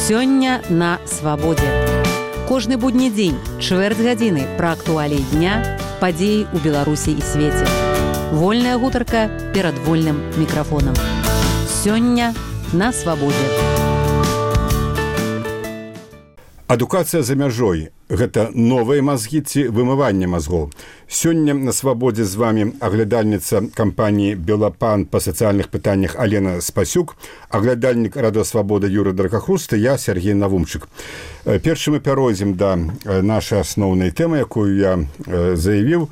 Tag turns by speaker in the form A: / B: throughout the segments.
A: Сёння на свабодзе. Кожны будні дзень, чвэрць гадзіны пра актуаліі дня, падзеі ў Беларусі і свеце. Вольная гутарка перад вольным мікрафонам. Сёння на свабодзе.
B: Адукацыя за мяжой – гэта новыя мазгі ці вымыванне мазгоў. Сёння на свабодзе з вами аглядальніца кампаніі «Белапан» па сацыяльных пытаннях Алена Спасюк, аглядальнік Радыё Свабода Юрый Дракахруст і я, Сергей Навумчык. Першы мы пяройдзем да нашай асноўнай тэмы, якую я заявіў.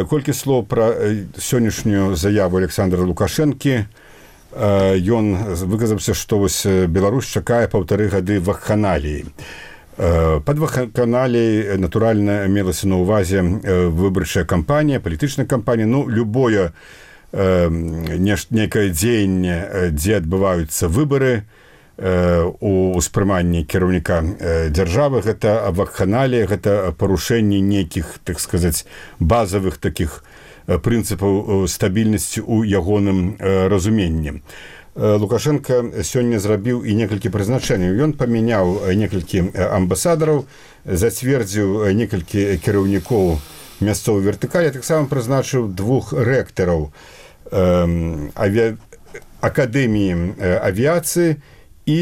B: Колькі слоў пра сённяшнюю заяву Александра Лукашэнкі. Ён выказаўся, што вось Беларусь чакае 1,5 гады вакханаліі. Пад вакханаліяй, натуральна, мелася на ўвазе выбарчая кампанія, палітычная кампанія, любое нейкае дзеянне, дзе адбываюцца выбары у ўспрыманні кіраўніка дзяржавы, гэта вакханалія, гэта парушэнне нейкіх, так сказаць, базавых такіх прынцыпаў стабільнасці ў ягоным разуменні. Лукашенко сёння зрабіў і некалькі прызначэнняў. Ён памяняў некалькі амбасадараў, зацвердзіў некалькі кіраўнікоў мясцовай вертыкалі, таксама прызначыў 2 рэктараў акадэміі авіяцыі і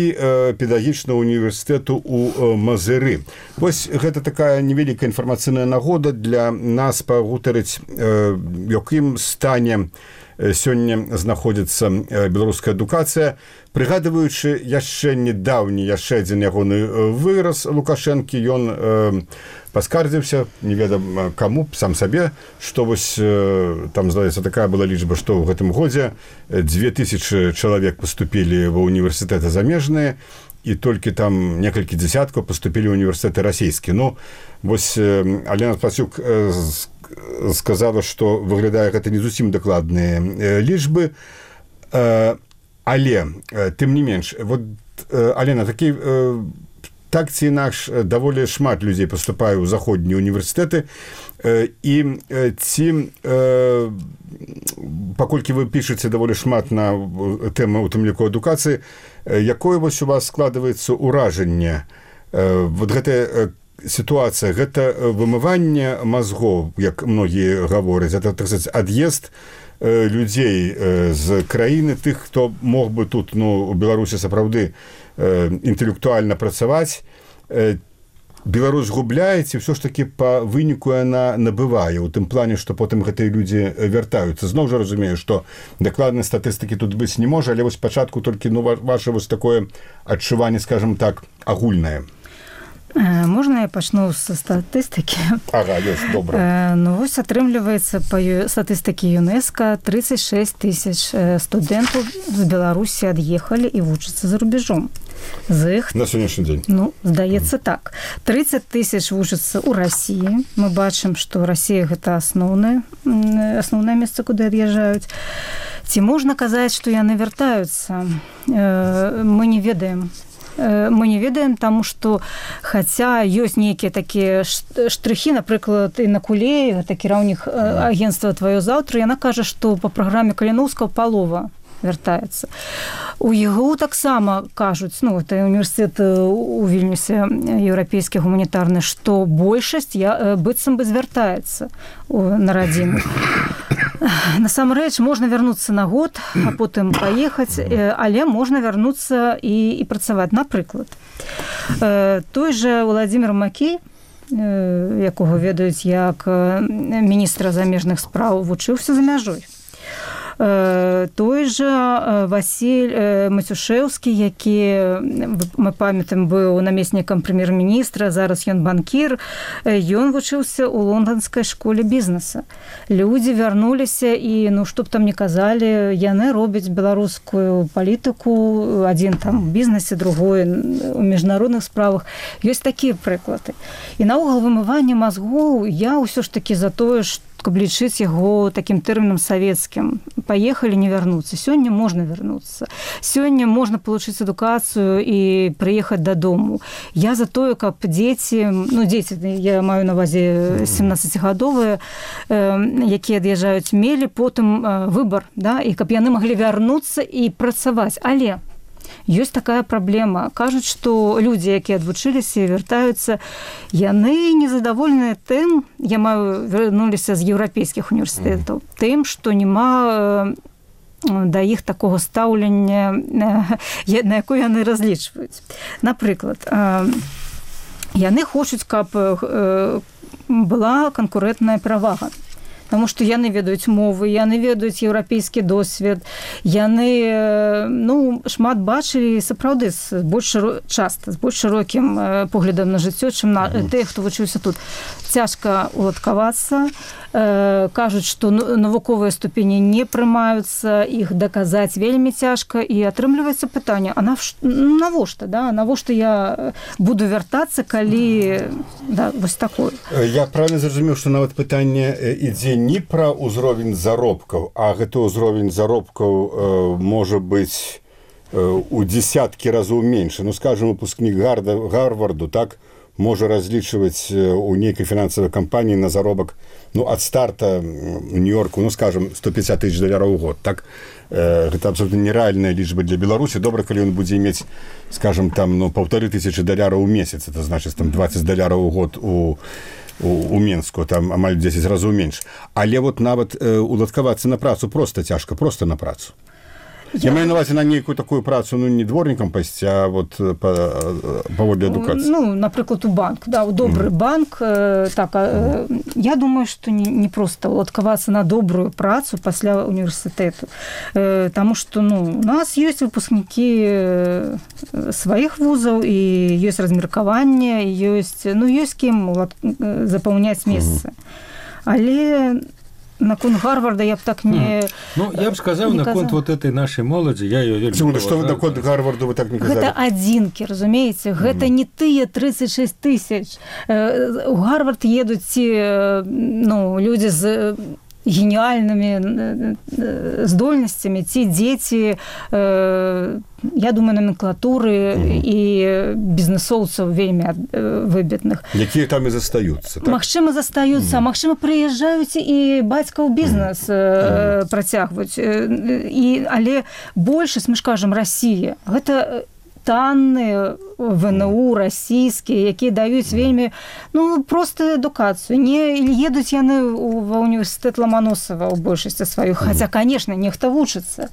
B: педагагічнага універсітэту ў Мазыры. Вось гэта такая невялікая інфармацыйная нагода для нас пагутарыць, в якім стане сёння знаходзіцца беларуская адукацыя, прыгадваючы яшчэ недаўні, яшчэ адзін ягоны выраз Лукашэнкі, ён паскардзіўся, не ведам каму, сам сабе, што вось там, здаецца, такая была лічба, што ў гэтым годзе 2000 чалавек паступілі ва універсітэты замежныя, і толькі там некалькі дзясяткаў паступілі ў універсітэты расійскі. Вось Алена Спасюк сказала, што выглядае гэта не зусім дакладныя лічбы, але тым не менш, вот Алена, так ці інакш даволі шмат людзей паступае ў заходнія універсітэты, і ці паколькі вы пішаце даволі шмат на тэму, у тым ліку адукацыі, якое вось у вас складваецца ўражанне? Вот гэтая сітуацыя, гэта вымыванне мазгоў, як многія гавораць, это, так сказаць, ад'езд людзей з краіны, тых, хто мог бы тут, у Беларусі сапраўды інтэлектуальна працаваць. Беларусь губляе, ці ўсё ж такі па выніку яна набывае, у тым плане, што потым гэтыя людзі вяртаюцца. Зноў жа разумею, што дакладнай статыстыкі тут быць не можа, але вось спачатку толькі ваше вось такое адчуванне, скажем так, агульнае.
C: Можна я пачну са статыстыкі?
B: Ага, ёсць, добра.
C: Вось атрымліваецца па статыстыкі ЮНЕСКО 36 000 студэнтаў з Беларусі ад'ехалі і вучацца за рубежом. З іх...
B: На сённяшні дзень?
C: Здаецца так. 30 000 вучацца ў Расіі. Мы бачым, што Расія гэта асноўнае месца, куды ад'язджаюць. Ці можна казаць, што яны вяртаюцца? Мы не ведаем. Мы не ведаем, таму што хаця ёсць нейкія такія штрыхі, напрыклад, і на Кулеі, гэта кіраўнік агенцтва «Тваё заўтра», яна кажа, што па праграме Каліноўскага палова вяртаецца. У ЕГУ таксама кажуць, это універсітэт у Вільнюсе, еўрапейскі гуманітарны, што большасць быццам бы звяртаецца на радзіму. Насамрэч, можна вярнуцца на год, а потым паехаць, але можна вярнуцца і працаваць. Напрыклад, той жа Владзімір Макей, якога ведаюць як міністра замежных спраў, вучыўся за мяжой. Той жа Васіль Мацюшэўскі, які, мы памятаем, быў намеснікам прэм'ер-міністра, зараз ён банкір, ён вучыўся ў лонданскай школе бізнеса. Людзі вярнуліся і, што б там не казалі, яны робяць беларускую палітыку, адзін там у бізнесе, другой у міжнародных справах. Ёсць такія прыклады. І наогул вымыванне мазгоў, я ўсё ж такі за тое, што каб лічыць яго такім тэрмінам савецкім. Паехалі, не вярнуцца. Сёння можна вярнуцца. Сёння можна получыць адукацыю і прыехаць дадому. Я за тое, каб дзеці, я маю на ўвазе 17-гадовыя, якія ад'язджаюць, мелі потым выбар, і каб яны маглі вярнуцца і працаваць. Але Ёсць такая праблема. Кажуць, што людзі, якія адвучыліся і вяртаюцца, яны незадаволеныя тым, вярнуліся з еўрапейскіх універсітэтаў, тым, што няма да іх такога стаўлення, на якое яны разлічваюць. Напрыклад, яны хочуць, каб была канкурэнтная перавага. Таму што яны ведаюць мовы, яны ведаюць еўрапейскі досвед, яны шмат бачылі сапраўды часта з больш шырокім поглядам на жыццё, чым тыя, хто вучыўся тут. Цяжка уладкавацца, кажуць, што навуковыя ступені не прымаюцца, іх даказаць вельмі цяжка, і атрымліваецца пытанне, а навошта, да? Навошта я буду вяртацца, калі вось такое?
B: Я правильно зразумеў, што нават пытанне ідзе не пра ўзровень заробкаў, а гэты ўзровень заробкаў можа быць у дзесяткі разоў менш. Скажем, выпускнік Гарварду, так, можа разлічваць у нейкай фінансавай кампаніі на заробак ад старта у Нью-Йорку, скажем, $150 000 ў год, так? Гэта абсолютно нереальная лічба для Беларусі. Добра, калі ён будзе мець, скажем, там, $1500 ў месяц, это значыць, там, $20 ў год у Менску, там амаль 10 разоў менш. Але нават уладкавацца на працу проста цяжка, проста на працу. Я маю на увазі на нейкую такую працу, не дворнікам пайсці, а паводле адукацыі.
C: Напрыклад, у банк, у добры банк. Я думаю, што не проста уладкавацца на добрую працу пасля універсітэту. Таму што у нас ёсць выпускнікі сваіх вузаў, і ёсць размеркаванне, ёсць кім запаўняць месцы. Але наконт Гарварда я б так не...
D: я б сказаў, наконт вот этой нашай моладзі, я её вельмі...
B: Што вы наконт Гарварду вы так не казалі?
C: Гэта адзінкі, разумееце? Гэта не тыя 36 000. У Гарвард едуць людзі з геніальнымі здольнасцямі, ці дзеці, я думаю, номенклатуры і бізнесоўцаў вельмі выбітных.
B: Якія там і застаюцца, так?
C: Магчыма, застаюцца, магчыма, прыязджаюць і бацькаў бізнес працягваюць. Але большасць, мы ж кажам, Расія, гэта танныя ВНУ расійскія, якія даюць вельмі простую адукацыю. Не едуць яны ва універсітэт Ламаносава ў большасці сваю, хаця, конечно, нехта вучыцца.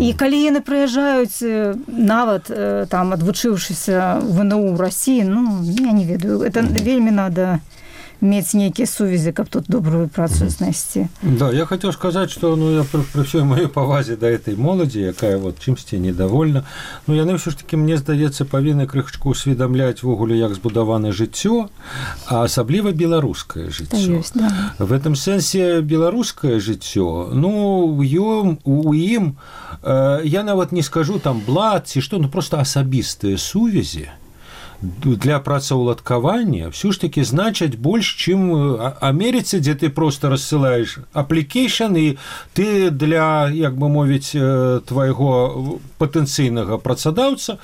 C: І калі яны прыязджаюць, нават там адвучыўшыся ВНУ ў Расіі, я не ведаю, это вельмі надо мець нейкія сувязі, каб тут добрую працу знайсці.
D: Да, я хацеў сказаць, што я пры ўсёй маёй павазе да этой моладзі, якая чымсьці недовольна, яны ўсё ж такі, мне здаецца, павінны крышачку усведамляць вогуле, як збудавана жыццё, а асабліва беларускае жыццё. В этом сэнсе беларускае жыццё, у ім, я нават не скажу там блат ці што, проста асабістыя сувязі для працаўладкавання ўсё ж такі значаць больш, чым Амерыцы, дзе ты проста рассылаеш аплікейшн, і ты для, як бы мовіць, твайго патэнцыйнага працадаўца,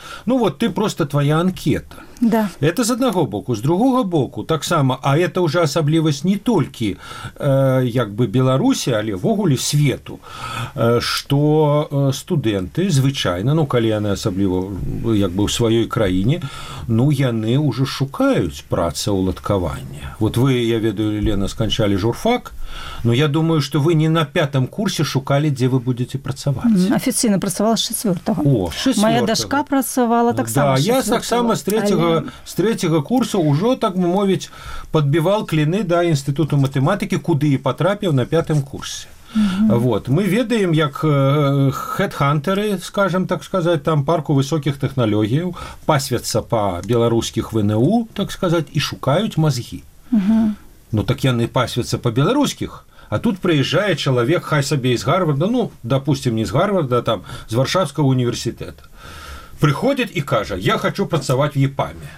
D: ты проста твая анкета.
C: Да.
D: Это з аднаго боку. З другога боку таксама, а это ўжо асаблівасць не толькі як бы Беларусі, але ввогуле свету, што студэнты звычайна, калі яны асабліва як бы ў сваёй краіне, яны ўжо шукаюць працаўладкавання. Вы, я ведаю, Лена, сканчалі журфак, я думаю, што вы не на 5-м курсе шукалі, дзе вы будзеце працаваць.
C: Афіцыйна працавала з 4-го. Моя дачка працавала таксама з 4-го.
D: Я таксама з 3-го курсу ўжо, так мовіць, падбівал кліны да інстытуту матэматыкі, куды і патрапіў на 5-м курсе. Мы ведаем, як хедхантары, скажем так сказать, там парку высокіх тэхналогіяў пасвяцца па беларускіх ВНУ, так сказать, і шукаюць мазгі. Так яны пасвяцца па беларускіх, а тут прыязджае чалавек, хай сабе з Гарварда, допустим, не з Гарварда, там, з Варшавскага універсітэта. Приходит и кажа, я хочу працаваць в ЕПАМе.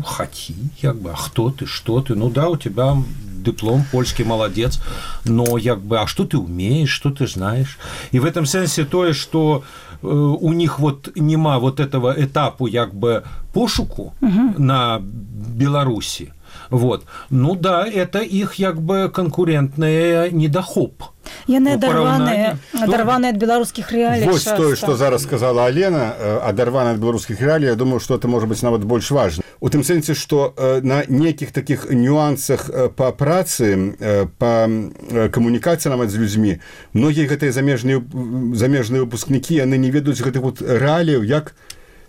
D: Хоти, як бы, а хто ты, што ты? Да, у тебя диплом, польский, молодец, но як бы, а что ты умеешь, что ты знаешь? И в этом сенсе тое, что у них нема этого этапу як бы пошуку на Беларуси, Вот. Ну да, это их як бы конкурентный недохоп.
C: Яны адарваныя ад беларускіх реалій.
B: Вось тое, што зараз сказала Алена, адарваны ад беларускіх реалій, я думаю, што это можа быць нават больш важна. У тым сэнсе, што на нейкіх такіх нюансах па працы, па камунікацыі нават з людзьмі, многія гэтыя замежныя выпускнікі, яны не ведаюць гэтых вот рэаліяў, як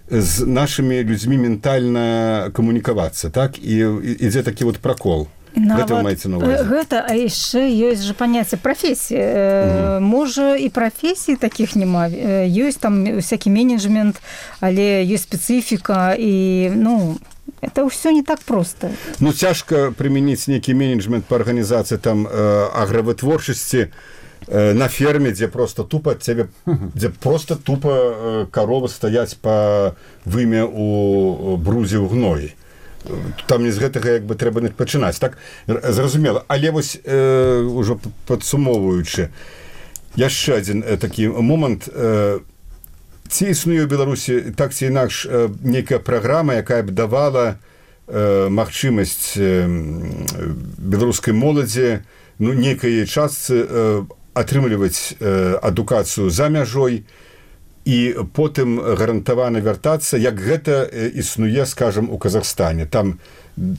B: з нашымі людзьмі ментальна камунікавацца, так? І ідзе такі вот пракол.
C: Гэта, а яшчэ ёсць жа паняцце прафесіі. Можа, і прафесій такіх няма. Ёсць там всякі менеджмент, але ёсць спецыфіка, і, ну, это ўсё не так проста.
B: Ну, цяжка прымяніць нейкі менеджмент па арганізацыі там агравытворчасці на ферме, дзе просто тупа каровы стаяць па вымя у брузе ў гноі. Там не з гэтага як бы трэба пачынаць, так? Зразумела. Але вось ужо падсумоўваючы, яшчэ адзін такі момант. Ці існуе ў Беларусі так ці інакш нейкая праграма, якая б давала магчымасць беларускай моладзі, ну, нейкай частцы атрымліваць адукацыю за мяжой і потым гарантавана вяртацца, як гэта існуе, скажам, у Казахстане. Там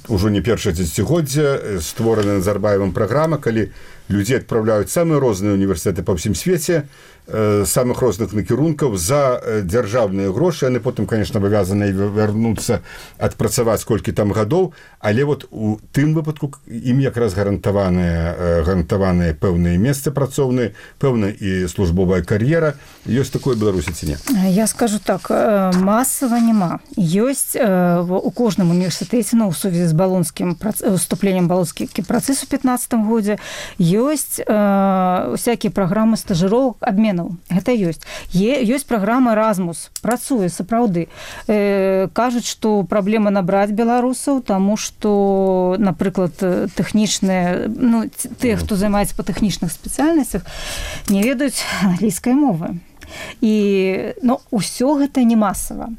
B: ужо не першае дзесяцігоддзе створана Назарбаевым праграма, калі людзей адпраўляюць самыя розныя універсітэты па ўсім свеце, самых розных накірункаў за дзяржаўныя грошы. Яны потым, конечно, абавязаны вярнуцца, адпрацаваць колькі там гадоў, але вот у тым выпадку ім якраз гарантаваныя пэўныя месцы працоўныя, пэўна і службовая кар'ера. Ёсць такое Беларусі ці не?
C: Я скажу так, масава няма. Ёсць у кожным універсітэце, ну, у сувязі з уступленнем балонскі працэс у 15 годзе, ёсць всякія праграмы стажыровак, абменаў. Гэта ёсць. Ёсць праграма Erasmus, працуе сапраўды. Кажуць, што праблема набраць беларусаў, таму што, напрыклад, тэхнічныя, ну, тыя, хто займаецца па тэхнічных спецыяльнасцях, не ведаюць англійскай мовы. І, ну, усё гэта не масава.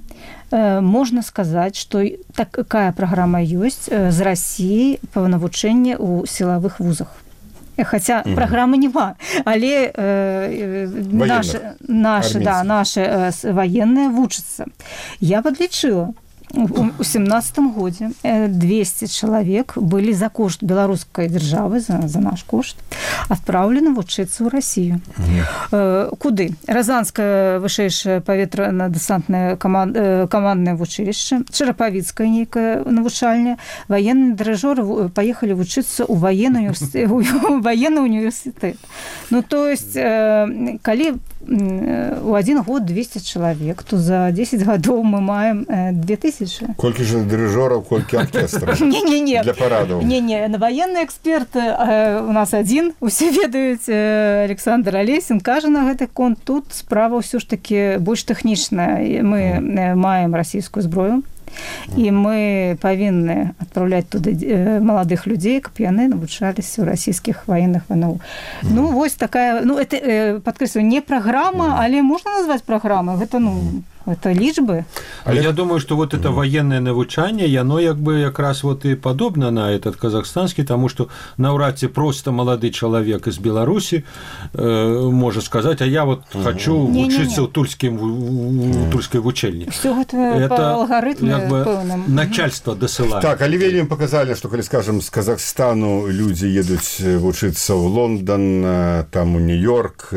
C: Можна сказаць, што такая праграма ёсць з Расіі па навучэнні ў сілавых вузах. Хаця праграмы няма, але нашы ваенныя вучацца. Я падлічыла, у 17 годзе 200 чалавек былі за кошт беларускай дзяржавы, за наш кошт, адпраўлены вучыцца ў Расію. Куды? Разанскае вышэйшае паветрана-дэсантнае каманднае вучылішча, Чарапавіцкае нейкае навучальня, ваенныя дырэжоры паехалі вучыцца ў ваенны універсітэт. Ну, то есть, калі у один год 200 чалавек, то за 10 гадоў мы маем 2000.
B: Колькі ж дырыжораў, колькі аркестраў для парадаў?
C: Не, военны эксперт у нас адзін, усе ведаюць, Александр Алесін кажа на гэты конт. Тут справа ўсё ж такі больш тэхнічная. Мы маем расійскую зброю, і мы павінны адпраўляць туды маладых людзей, каб яны навучаліся ў расійскіх ваенных ВНУ. Ну, вось такая, ну, это, падкрэслю, не праграма, але можна назваць праграмай. Гэта, ну, это лічбы.
D: Але я думаю, что вот это военное навучанне, яно як бы якраз вот и подобно на этот казахстанский, тому что наўрад ці просто молодой человек из Беларуси может сказать, а я вот хочу учиться в тульской вучэльні.
C: Все это по алгоритму
D: начальство досылает.
B: Так, але вельмі показали, что, коли, скажем, з Казахстану люди едуць вучыцца ў Лондон, там у Нью-Йорк,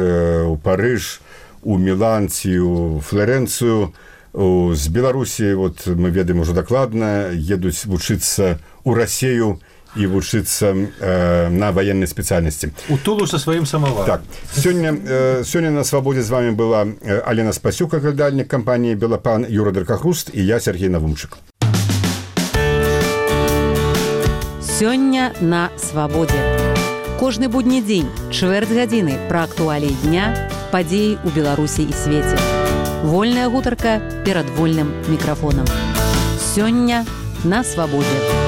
B: у Париж, у Мілан ці у Флоренцыю. З Беларусі, вот мы ведаем ужо дакладна, едуць вучыцца ў Расію і вучыцца на ваеннай спецыяльнасці.
D: У Тулу со сваім самаварам.
B: Так. Сёння на свабодзе з вами была Алена Спасюк, аглядальнік кампаніі «Белапан», Юра Дракахруст і я, Сергей Навумчык.
A: Сёння на свабодзе. Кожны будні дзень, чвэрць гадзіны пра актуаліі дня, падзеі ў Беларусі і свеце. Вольная гутарка перад вольным мікрафонам. Сёння на свабодзе.